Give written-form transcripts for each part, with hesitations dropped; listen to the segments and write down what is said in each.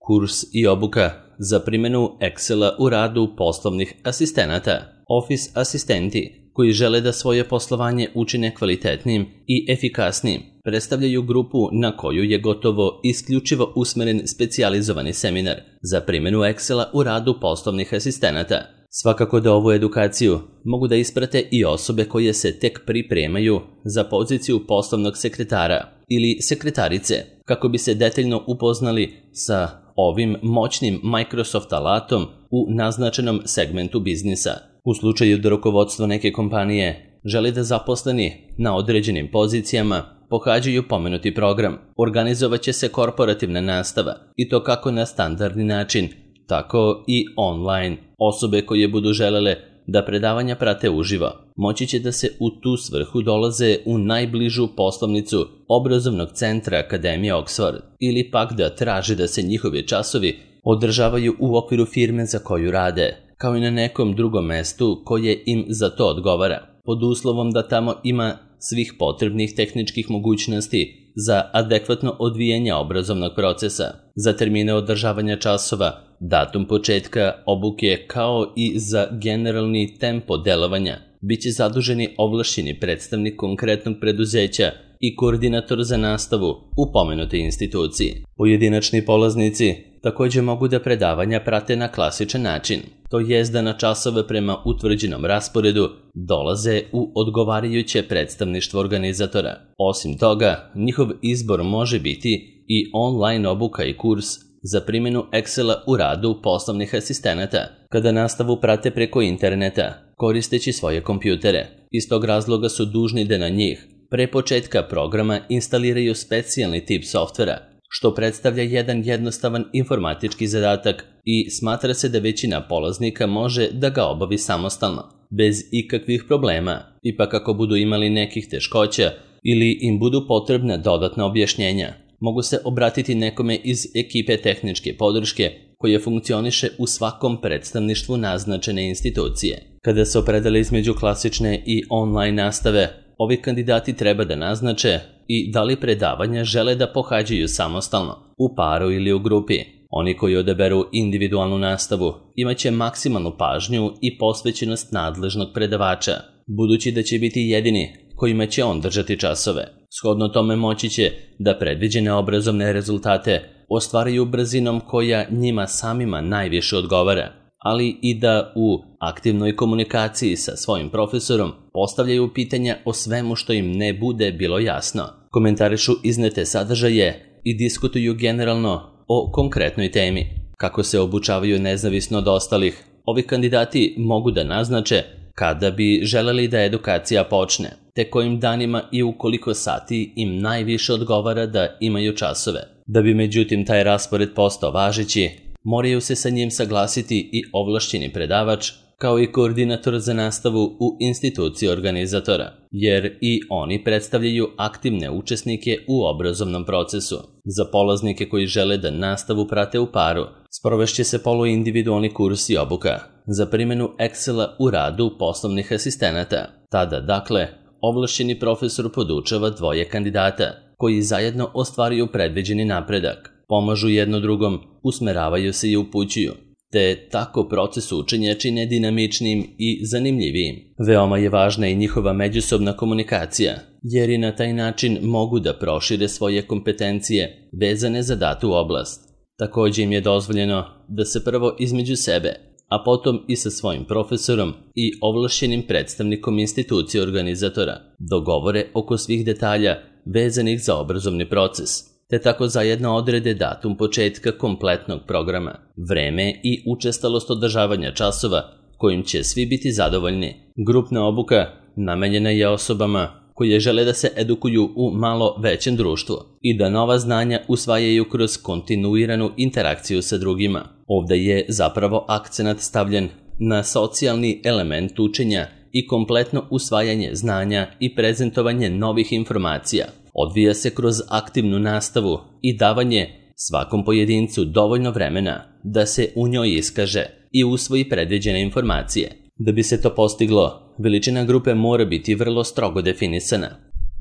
Kurs i obuka za primjenu Excela u radu poslovnih asistenata. Office asistenti koji žele da svoje poslovanje učine kvalitetnim i efikasnim predstavljaju grupu na koju je gotovo isključivo usmeren specijalizovani seminar za primjenu Excela u radu poslovnih asistenata. Svakako da ovu edukaciju mogu da isprate i osobe koje se tek pripremaju za poziciju poslovnog sekretara ili sekretarice kako bi se detaljno upoznali sa ovim moćnim Microsoft alatom u naznačenom segmentu biznisa. U slučaju da rukovodstvo neke kompanije želi da zaposleni na određenim pozicijama pohađaju pomenuti program, organizovat će se korporativna nastava i to kako na standardni način, tako i online. Osobe koje budu želele da predavanja prate uživo moći će da se u tu svrhu dolaze u najbližu poslovnicu obrazovnog centra Akademije Oxford ili pak da traže da se njihovi časovi održavaju u okviru firme za koju rade, kao i na nekom drugom mestu koje im za to odgovara, pod uslovom da tamo ima svih potrebnih tehničkih mogućnosti za adekvatno odvijanje obrazovnog procesa, za termine održavanja časova, datum početka obuke kao i za generalni tempo delovanja. Biće zaduženi ovlašćeni predstavnik konkretnog preduzeća i koordinator za nastavu u pomenutoj instituciji. Pojedinačni polaznici također mogu da predavanja prate na klasičan način, to jest da na časove prema utvrđenom rasporedu dolaze u odgovarajuće predstavništvo organizatora. Osim toga, njihov izbor može biti i online obuka i kurs za primjenu Excela u radu poslovnih asistenata, kada nastavu prate preko interneta, koristeći svoje kompjutere. Iz tog razloga su dužni da na njih pre početka programa instaliraju specijalni tip softvera, što predstavlja jedan jednostavan informatički zadatak i smatra se da većina polaznika može da ga obavi samostalno, bez ikakvih problema. Ipak ako budu imali nekih teškoća ili im budu potrebna dodatna objašnjenja, mogu se obratiti nekome iz ekipe tehničke podrške koje funkcioniše u svakom predstavništvu naznačene institucije. Kada se opredele između klasične i online nastave, ovi kandidati treba da naznače i da li predavanja žele da pohađaju samostalno, u paru ili u grupi. Oni koji odaberu individualnu nastavu imaće maksimalnu pažnju i posvećenost nadležnog predavača, budući da će biti jedini kojima će on držati časove. Shodno tome moći će da predviđene obrazovne rezultate ostvaraju brzinom koja njima samima najviše odgovara, ali i da u aktivnoj komunikaciji sa svojim profesorom postavljaju pitanja o svemu što im ne bude bilo jasno, komentarišu iznete sadržaje i diskutuju generalno o konkretnoj temi. Kako se obučavaju nezavisno od ostalih, ovi kandidati mogu da naznače kada bi želeli da edukacija počne, te kojim danima i u koliko sati im najviše odgovara da imaju časove. Da bi međutim taj raspored postao važeći, moraju se sa njim saglasiti i ovlašćeni predavač, kao i koordinator za nastavu u instituciji organizatora, jer i oni predstavljaju aktivne učesnike u obrazovnom procesu. Za polaznike koji žele da nastavu prate u paru, sprovešće se poluindividualni kurs i obuka za primjenu Excela u radu poslovnih asistenata. Tada, dakle, ovlašćeni profesor podučava dvoje kandidata, koji zajedno ostvaruju predviđeni napredak, pomažu jedno drugom, usmeravaju se i upućuju, te tako proces učenja čine dinamičnim i zanimljivijim. Veoma je važna i njihova međusobna komunikacija, jer i na taj način mogu da prošire svoje kompetencije vezane za datu oblast. Također im je dozvoljeno da se prvo između sebe, a potom i sa svojim profesorom i ovlašćenim predstavnikom institucije organizatora dogovore oko svih detalja vezanih za obrazovni proces, te tako zajedno odrede datum početka kompletnog programa, vreme i učestalost održavanja časova kojim će svi biti zadovoljni. Grupna obuka namenjena je osobama koje žele da se edukuju u malo većem društvu i da nova znanja usvajaju kroz kontinuiranu interakciju sa drugima. Ovdje je zapravo akcenat stavljen na socijalni element učenja i kompletno usvajanje znanja i prezentovanje novih informacija. Odvija se kroz aktivnu nastavu i davanje svakom pojedincu dovoljno vremena da se u njoj iskaže i usvoji predviđene informacije. Da bi se to postiglo, veličina grupe mora biti vrlo strogo definisana.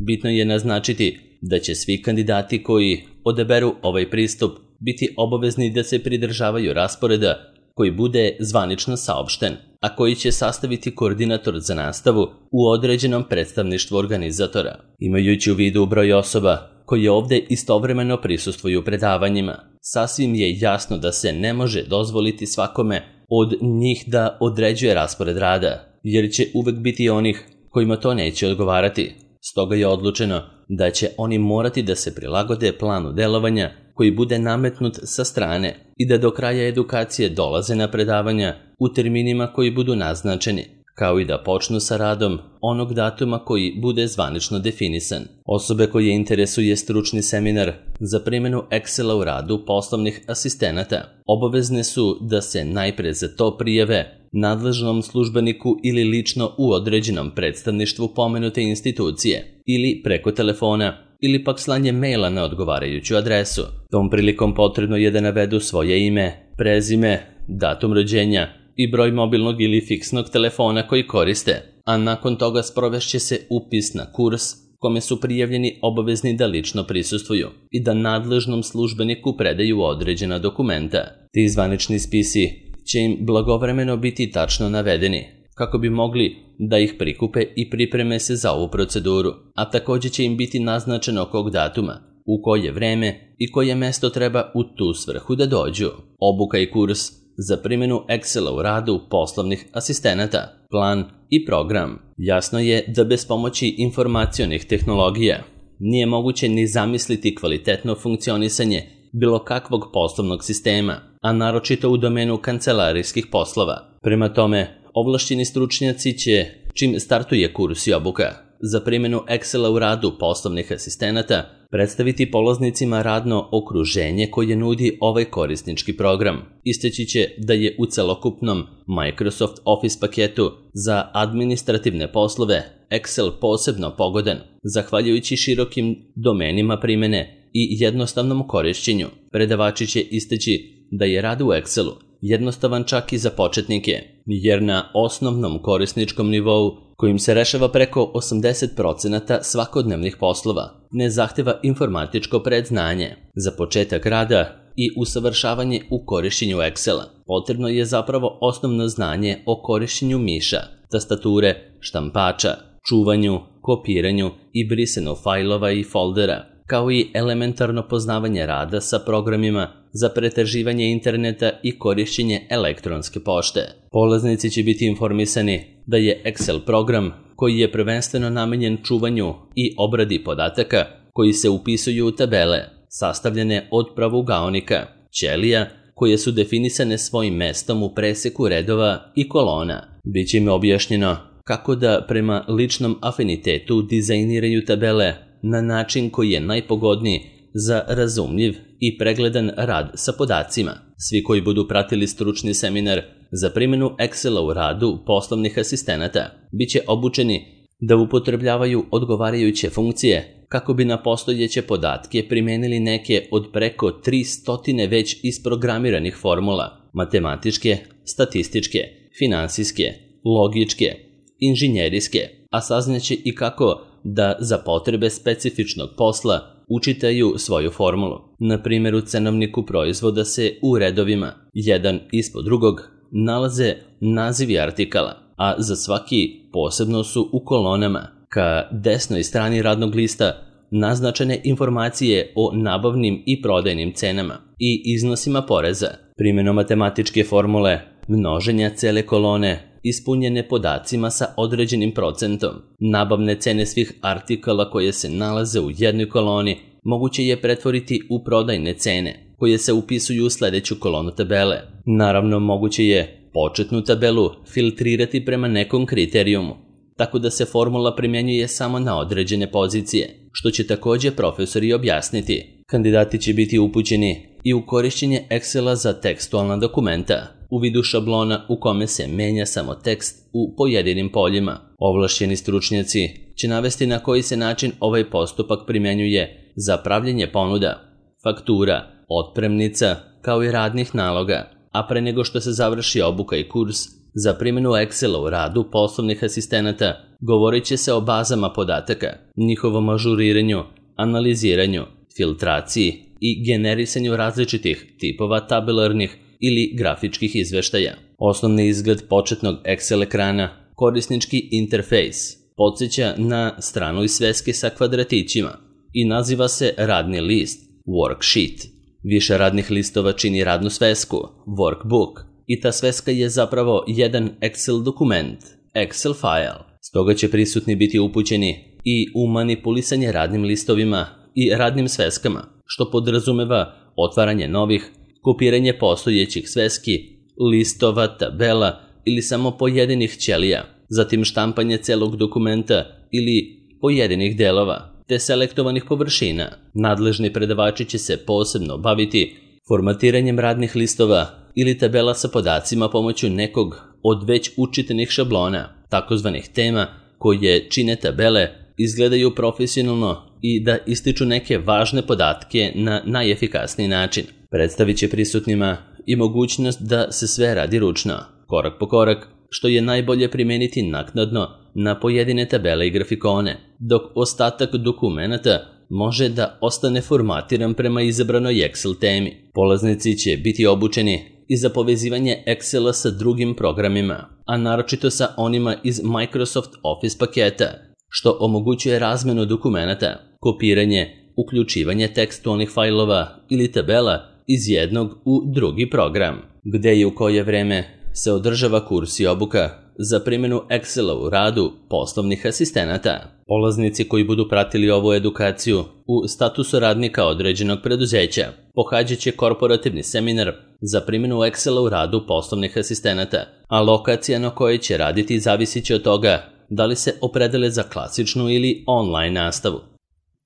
Bitno je naznačiti da će svi kandidati koji odaberu ovaj pristup biti obavezni da se pridržavaju rasporeda koji bude zvanično saopšten, a koji će sastaviti koordinator za nastavu u određenom predstavništvu organizatora. Imajući u vidu broj osoba koji ovde istovremeno prisustvuju predavanjima, sasvim je jasno da se ne može dozvoliti svakome od njih da određuje raspored rada, jer će uvek biti onih kojima to neće odgovarati. Stoga je odlučeno da će oni morati da se prilagode planu delovanja koji bude nametnut sa strane i da do kraja edukacije dolaze na predavanja u terminima koji budu naznačeni, kao i da počnu sa radom onog datuma koji bude zvanično definisan. Osobe koje interesuje stručni seminar za primjenu Excela u radu poslovnih asistenata obavezne su da se najpre za to prijave nadležnom službeniku ili lično u određenom predstavništvu pomenute institucije ili preko telefona ili pak slanje maila na odgovarajuću adresu. Tom prilikom potrebno je da navedu svoje ime, prezime, datum rođenja i broj mobilnog ili fiksnog telefona koji koriste, a nakon toga sprovešće se upis na kurs kome su prijavljeni obavezni da lično prisustvuju i da nadležnom službeniku predaju određena dokumenta. Ti zvanični spisi će im blagovremeno biti tačno navedeni, kako bi mogli da ih prikupe i pripreme se za ovu proceduru, a također će im biti naznačeno kog datuma, u koje vreme i koje mesto treba u tu svrhu da dođu. Obuka i kurs za primjenu Excela u radu poslovnih asistenata, plan i program. Jasno je da bez pomoći informacionih tehnologija nije moguće ni zamisliti kvalitetno funkcionisanje bilo kakvog poslovnog sistema, a naročito u domenu kancelarijskih poslova. Prema tome, ovlašćeni stručnjaci će, čim startuje kurs i obuka za primjenu Excela u radu poslovnih asistenata, predstaviti polaznicima radno okruženje koje nudi ovaj korisnički program. Isteći će da je u celokupnom Microsoft Office paketu za administrativne poslove Excel posebno pogodan, zahvaljujući širokim domenima primjene i jednostavnom korišćenju. Predavači će isteći da je rad u Excelu jednostavan čak i za početnike, jer na osnovnom korisničkom nivou, kojim se rešava preko 80% svakodnevnih poslova, ne zahteva informatičko predznanje. Za početak rada i usavršavanje u korišćenju Excela potrebno je zapravo osnovno znanje o korišćenju miša, tastature, štampača, čuvanju, kopiranju i brisanju fajlova i foldera, kao i elementarno poznavanje rada sa programima za pretraživanje interneta i korišćenje elektronske pošte. Polaznici će biti informisani da je Excel program koji je prvenstveno namenjen čuvanju i obradi podataka koji se upisuju u tabele, sastavljene od pravugaonika, ćelija, koje su definisane svojim mestom u preseku redova i kolona. Biće im objašnjeno kako da prema ličnom afinitetu dizajniraju tabele na način koji je najpogodniji za razumljiv i pregledan rad sa podacima. Svi koji budu pratili stručni seminar za primjenu Excela u radu poslovnih asistenata biće obučeni da upotrebljavaju odgovarajuće funkcije kako bi na postojeće podatke primenili neke od preko 300 već isprogramiranih formula, matematičke, statističke, finansijske, logičke, inženjerijske, a saznaće i kako da za potrebe specifičnog posla učitaju svoju formulu. Na primjer, u cenovniku proizvoda se u redovima, jedan ispod drugog, nalaze nazivi artikala, a za svaki posebno su u kolonama, ka desnoj strani radnog lista, naznačene informacije o nabavnim i prodajnim cenama i iznosima poreza. Primjenom matematičke formule množenja cele kolone ispunjene podacima sa određenim procentom nabavne cene svih artikala koje se nalaze u jednoj koloni moguće je pretvoriti u prodajne cene koje se upisuju u sljedeću kolonu tabele. Naravno, moguće je početnu tabelu filtrirati prema nekom kriterijumu, tako da se formula primjenjuje samo na određene pozicije, što će također profesori objasniti. Kandidati će biti upućeni i u korišćenje Excela za tekstualna dokumenta, u vidu šablona u kome se menja samo tekst u pojedinim poljima. Ovlašćeni stručnjaci će navesti na koji se način ovaj postupak primjenjuje za pravljenje ponuda, faktura, otpremnica, kao i radnih naloga, a pre nego što se završi obuka i kurs za primjenu Excela u radu poslovnih asistenata, govorit će se o bazama podataka, njihovom ažuriranju, analiziranju, filtraciji i generisanju različitih tipova tabelarnih ili grafičkih izveštaja. Osnovni izgled početnog Excel ekrana, korisnički interfejs, podsjeća na stranu iz sveske sa kvadratićima i naziva se radni list, worksheet. Više radnih listova čini radnu svesku, workbook, i ta sveska je zapravo jedan Excel dokument, Excel file. Stoga će prisutni biti upućeni i u manipulisanje radnim listovima i radnim sveskama, što podrazumeva otvaranje novih, kopiranje postojećih sveski, listova, tabela ili samo pojedinih ćelija, zatim štampanje celog dokumenta ili pojedinih delova, te selektovanih površina. Nadležni predavači će se posebno baviti formatiranjem radnih listova ili tabela sa podacima pomoću nekog od već učitenih šablona, takozvanih tema, koje čine tabele, izgledaju profesionalno i da ističu neke važne podatke na najefikasniji način. Predstavit će prisutnima i mogućnost da se sve radi ručno, korak po korak, što je najbolje primeniti naknadno na pojedine tabele i grafikone, dok ostatak dokumenata može da ostane formatiran prema izabranoj Excel temi. Polaznici će biti obučeni i za povezivanje Excela sa drugim programima, a naročito sa onima iz Microsoft Office paketa, što omogućuje razmenu dokumenata, kopiranje, uključivanje tekstualnih fajlova ili tabela iz jednog u drugi program, gde i u koje vreme se održava kurs i obuka za primjenu Excela u radu poslovnih asistenata. Polaznici koji budu pratili ovu edukaciju u statusu radnika određenog preduzeća pohađat će korporativni seminar za primjenu Excela u radu poslovnih asistenata, a lokacija na kojoj će raditi zavisit će od toga da li se opredele za klasičnu ili online nastavu.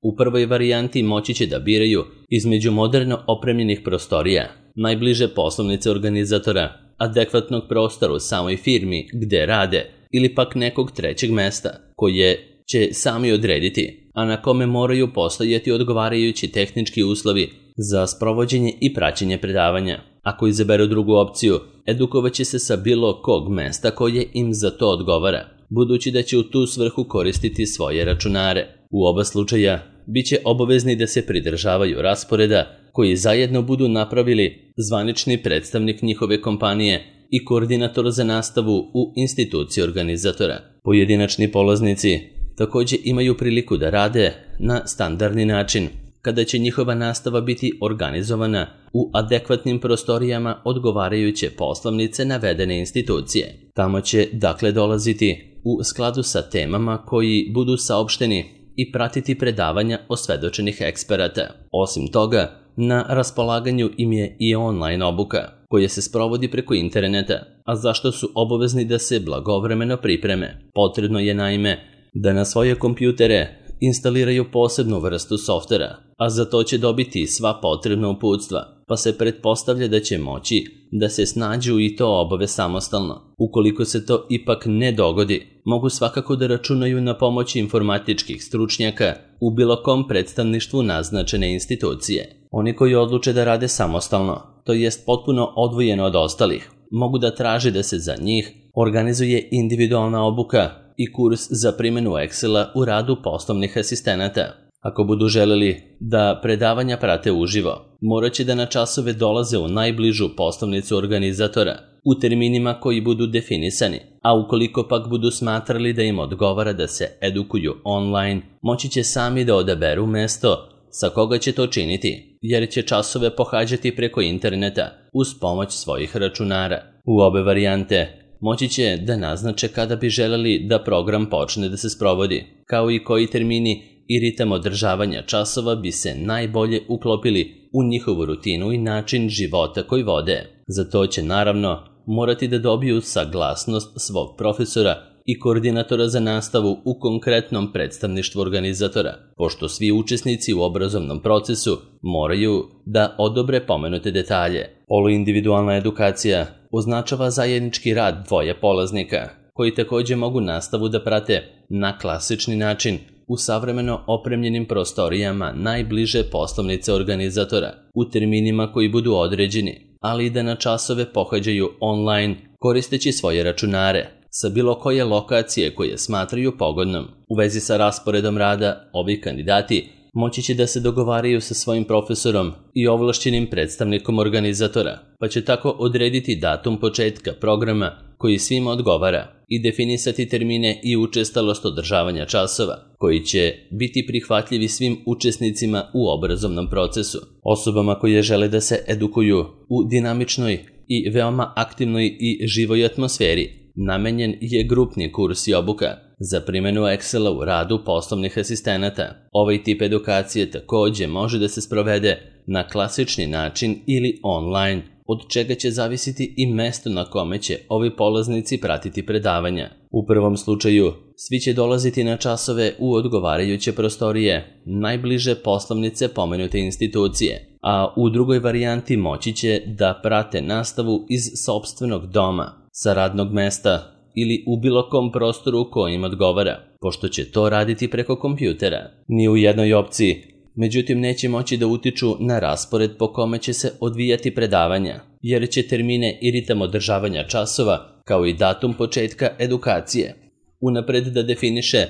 U prvoj varijanti moći će da biraju između moderno opremljenih prostorija, najbliže poslovnice organizatora, adekvatnog prostora u samoj firmi gde rade ili pak nekog trećeg mesta koje će sami odrediti, a na kome moraju postojati odgovarajući tehnički uslovi za sprovođenje i praćenje predavanja. Ako izaberu drugu opciju, edukovat će se sa bilo kog mesta koje im za to odgovara, budući da će u tu svrhu koristiti svoje računare. U oba slučaja bit će obavezni da se pridržavaju rasporeda koji zajedno budu napravili zvanični predstavnik njihove kompanije i koordinator za nastavu u instituciji organizatora. Pojedinačni polaznici također imaju priliku da rade na standardni način, kada će njihova nastava biti organizovana u adekvatnim prostorijama odgovarajuće poslovnice navedene institucije. Tamo će dakle dolaziti u skladu sa temama koji budu saopšteni i pratiti predavanja osvedočenih eksperata. Osim toga, na raspolaganju im je i online obuka, koja se sprovodi preko interneta, a zašto su obavezni da se blagovremeno pripreme. Potrebno je naime da na svoje kompjutere instaliraju posebnu vrstu softvera, a za to će dobiti sva potrebna uputstva, pa se pretpostavlja da će moći da se snađu i to obave samostalno. Ukoliko se to ipak ne dogodi, mogu svakako da računaju na pomoć informatičkih stručnjaka u bilo kom predstavništvu naznačene institucije. Oni koji odluče da rade samostalno, to jest potpuno odvojeno od ostalih, mogu da traže da se za njih organizuje individualna obuka i kurs za primjenu Excela u radu poslovnih asistenata. Ako budu želeli da predavanja prate uživo, morat će da na časove dolaze u najbližu poslovnicu organizatora u terminima koji budu definisani, a ukoliko pak budu smatrali da im odgovara da se edukuju online, moći će sami da odaberu mesto sa koga će to činiti, jer će časove pohađati preko interneta uz pomoć svojih računara. U obe varijante moći će da naznače kada bi želeli da program počne da se sprovodi, kao i koji termini i ritam održavanja časova bi se najbolje uklopili u njihovu rutinu i način života koji vode. Za to će naravno morati da dobiju saglasnost svog profesora i koordinatora za nastavu u konkretnom predstavništvu organizatora, pošto svi učesnici u obrazovnom procesu moraju da odobre pomenute detalje. Poluindividualna edukacija označava zajednički rad dvoje polaznika, koji također mogu nastavu da prate na klasični način u savremeno opremljenim prostorijama najbliže poslovnice organizatora, u terminima koji budu određeni, ali i da na časove pohađaju online koristeći svoje računare sa bilo koje lokacije koje smatraju pogodnom. U vezi sa rasporedom rada, ovi kandidati moći će da se dogovaraju sa svojim profesorom i ovlašćenim predstavnikom organizatora, pa će tako odrediti datum početka programa koji svima odgovara i definisati termine i učestalost održavanja časova, koji će biti prihvatljivi svim učesnicima u obrazovnom procesu. Osobama koje žele da se edukuju u dinamičnoj i veoma aktivnoj i živoj atmosferi namenjen je grupni kurs i obuka za primjenu Excela u radu poslovnih asistenata. Ovaj tip edukacije takođe može da se sprovede na klasični način ili online, od čega će zavisiti i mesto na kome će ovi polaznici pratiti predavanja. U prvom slučaju, svi će dolaziti na časove u odgovarajuće prostorije, najbliže poslovnice pomenute institucije, a u drugoj varijanti moći će da prate nastavu iz sopstvenog doma, sa radnog mesta ili u bilo kom prostoru kojim odgovara, pošto će to raditi preko kompjutera. Ni u jednoj opciji, međutim, neće moći da utiču na raspored po kome će se odvijati predavanja, jer će termine i ritam održavanja časova, kao i datum početka edukacije, unapred da definiše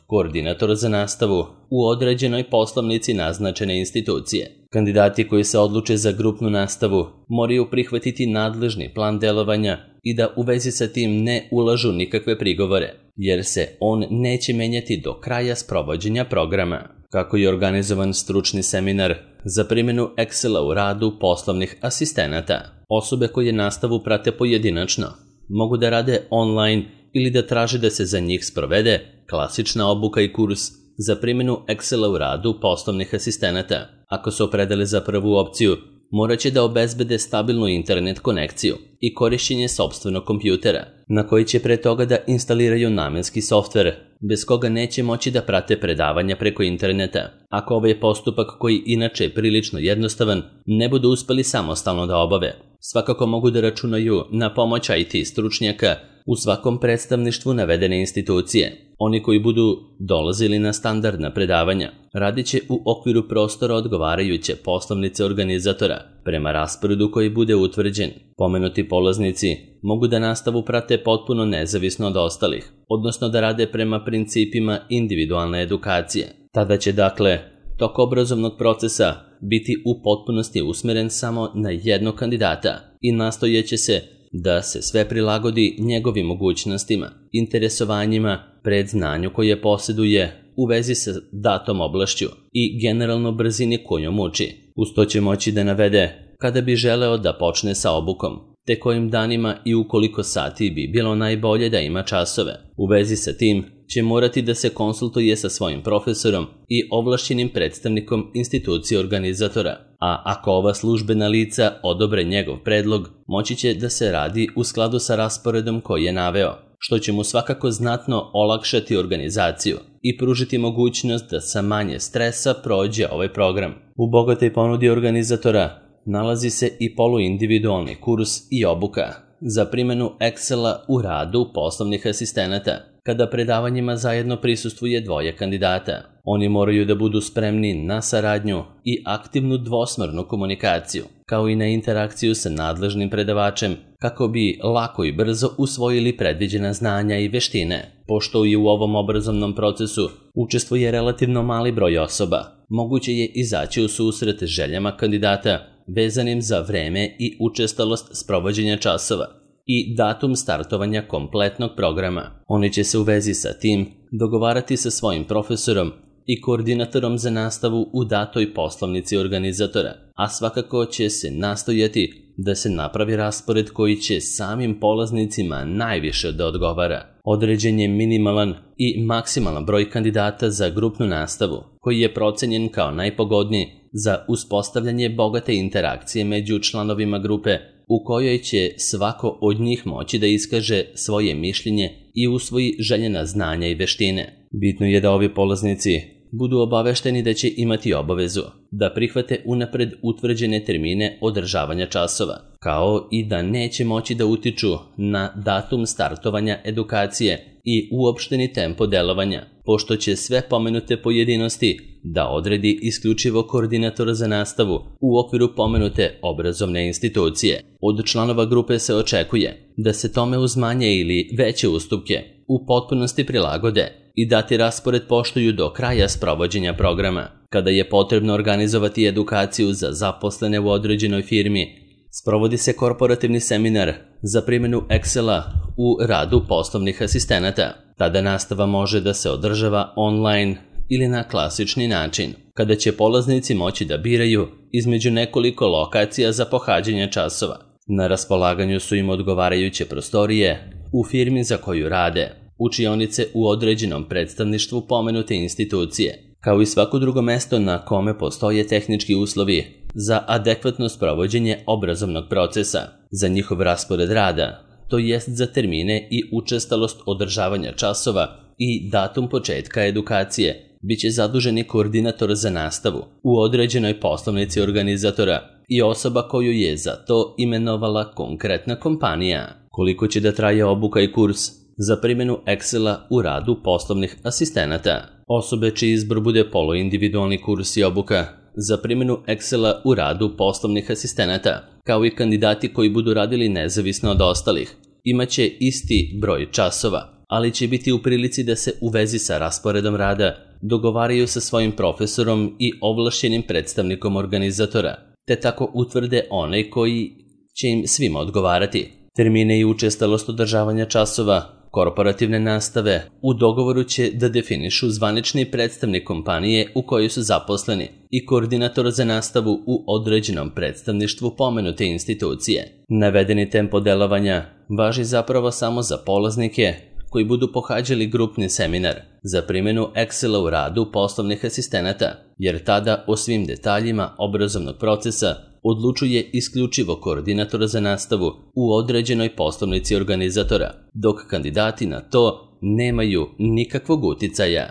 koordinator za nastavu u određenoj poslovnici naznačene institucije. Kandidati koji se odluče za grupnu nastavu moraju prihvatiti nadležni plan delovanja i da u vezi sa tim ne ulažu nikakve prigovore, jer se on neće menjati do kraja sprovođenja programa. Kako je organizovan stručni seminar za primjenu Excela u radu poslovnih asistenata. Osobe koje nastavu prate pojedinačno mogu da rade online ili da traže da se za njih sprovede klasična obuka i kurs za primjenu Excela u radu poslovnih asistenata. Ako se opredele za prvu opciju, morat će da obezbede stabilnu internet konekciju i korišćenje sopstvenog kompjutera, na koji će pre toga da instaliraju namenski softver, bez koga neće moći da prate predavanja preko interneta. Ako ovaj postupak, koji inače je prilično jednostavan, ne budu uspeli samostalno da obave, svakako mogu da računaju na pomoć IT stručnjaka u svakom predstavništvu navedene institucije. Oni koji budu dolazili na standardna predavanja radit će u okviru prostora odgovarajuće poslovnice organizatora, prema rasporedu koji bude utvrđen. Pomenuti polaznici mogu da nastavu prate potpuno nezavisno od ostalih, odnosno da rade prema principima individualne edukacije. Tada će, dakle, tok obrazovnog procesa biti u potpunosti usmeren samo na jednog kandidata i nastojeće se da se sve prilagodi njegovim mogućnostima, interesovanjima, predznanju koje posjeduje u vezi sa datom oblašću i generalno brzini kojom uči. Uz to će moći da navede kada bi želeo da počne sa obukom, te kojim danima i u koliko sati bi bilo najbolje da ima časove. U vezi sa tim će morati da se konsultuje sa svojim profesorom i ovlašćenim predstavnikom institucije organizatora, a ako ova službena lica odobre njegov predlog, moći će da se radi u skladu sa rasporedom koji je naveo, što će mu svakako znatno olakšati organizaciju i pružiti mogućnost da sa manje stresa prođe ovaj program. U bogatoj ponudi organizatora nalazi se i poluindividualni kurs i obuka za primjenu Excela u radu poslovnih asistenata, kada predavanjima zajedno prisustvuje dvoje kandidata. Oni moraju da budu spremni na saradnju i aktivnu dvosmernu komunikaciju, kao i na interakciju sa nadležnim predavačem, kako bi lako i brzo usvojili predviđena znanja i veštine. Pošto i u ovom obrazovnom procesu učestvuje relativno mali broj osoba, moguće je izaći u susret željama kandidata vezanim za vreme i učestalost sprovođenja časova i datum startovanja kompletnog programa. Oni će se u vezi sa tim dogovarati sa svojim profesorom i koordinatorom za nastavu u datoj poslovnici organizatora, a svakako će se nastojati da se napravi raspored koji će samim polaznicima najviše da odgovara. Određen je minimalan i maksimalan broj kandidata za grupnu nastavu, koji je procenjen kao najpogodniji za uspostavljanje bogate interakcije među članovima grupe, u kojoj će svako od njih moći da iskaže svoje mišljenje i usvoji željena znanja i veštine. Bitno je da ovi polaznici budu obavešteni da će imati obavezu da prihvate unapred utvrđene termine održavanja časova, kao i da neće moći da utiču na datum startovanja edukacije i uopšteni tempo delovanja, pošto će sve pomenute pojedinosti da odredi isključivo koordinator za nastavu u okviru pomenute obrazovne institucije. Od članova grupe se očekuje da se tome uz manje ili veće ustupke u potpunosti prilagode i dati raspored poštuju do kraja sprovođenja programa. Kada je potrebno organizovati edukaciju za zaposlene u određenoj firmi, sprovodi se korporativni seminar za primjenu Excela u radu poslovnih asistenata. Tada nastava može da se održava online ili na klasični način, kada će polaznici moći da biraju između nekoliko lokacija za pohađanje časova. Na raspolaganju su im odgovarajuće prostorije u firmi za koju rade, učionice u određenom predstavništvu pomenute institucije, kao i svako drugo mesto na kome postoje tehnički uslovi za adekvatno sprovođenje obrazovnog procesa, za njihov raspored rada, to jest za termine i učestalost održavanja časova i datum početka edukacije, biće zaduženi koordinator za nastavu u određenoj poslovnici organizatora i osoba koju je za to imenovala konkretna kompanija. Koliko će da traje obuka i kurs za primjenu Excela u radu poslovnih asistenata? Osobe čiji izbor bude poluindividualni kurs i obuka za primjenu Excela u radu poslovnih asistenata, kao i kandidati koji budu radili nezavisno od ostalih, imaće isti broj časova, ali će biti u prilici da se u vezi sa rasporedom rada dogovaraju sa svojim profesorom i ovlašćenim predstavnikom organizatora, te tako utvrde onaj koji će im svima odgovarati. Termine i učestalost održavanja časova korporativne nastave u dogovoru će da definišu zvanični predstavnik kompanije u kojoj su zaposleni i koordinator za nastavu u određenom predstavništvu pomenute institucije. Navedeni tempo delovanja važi zapravo samo za polaznike koji budu pohađali grupni seminar za primjenu Excela u radu poslovnih asistenata, jer tada o svim detaljima obrazovnog procesa odlučuje isključivo koordinator za nastavu u određenoj poslovnici organizatora, dok kandidati na to nemaju nikakvog uticaja.